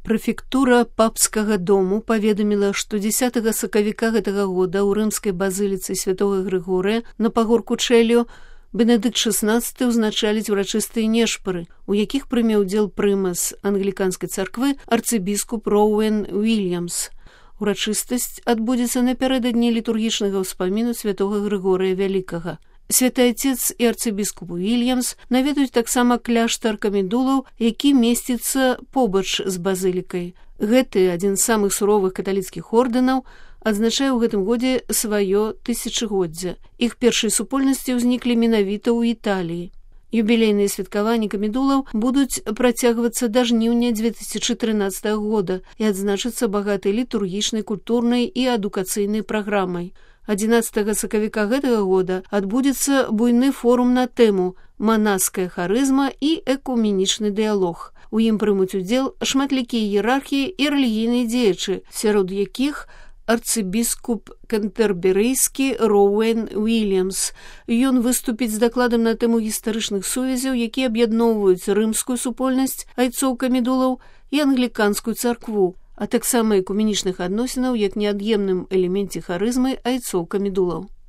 Прэфектура папскага дому паведаміла, што 10 сакавіка гэтага года ў рымскай базыліцы святого Грыгорыя на пагорку Чэліо Бенедыкт XVI ўзначаліць урачыстыя нешпары, у якіх прыме ўдзел прымас англіканскай царквы арцыбіскуп Роуэн Уільямс. Урачыстасць адбудзецца напярэдадні літургічнага ўспаміну святого Грыгорыя Вялікага. Святы Отец і арцыбіскуп Уільямс наведаюць таксама кляштар камедулаў, які месціцца побач з базылікай. Гэты, адзін з самых суровых каталіцкіх ордэнаў, адзначае ў гэтым годзе сваё тысячагоддзе. Іх першыя супольнасці ўзніклі менавіта ў Італіі. Юбілейныя святкаванні камедулаў будуць працягвацца да жніўня 2013 года і адзначацца багатай літургічнай, культурнай і адукацыйнай праграмай. 11 сакавіка гэтага года адбудзецца буйны форум на тэму «Манаская харызма і экуменічны дыялог». У ім прымуць удзел шматлікія іерархіі і рэлігійныя дзеячы, сярод якіх арцыбіскуп кэнтэрберыйскі Роуэн Уільямс. Ён выступіць з дакладам на тэму гістарычных сувязяў, якія аб'ядноўваюць рымскую супольнасць айцоў камедулаў і англіканскую царкву, а таксама экуменічных адносінаў як неад'емным элеменце харызмы айцоў камедулаў.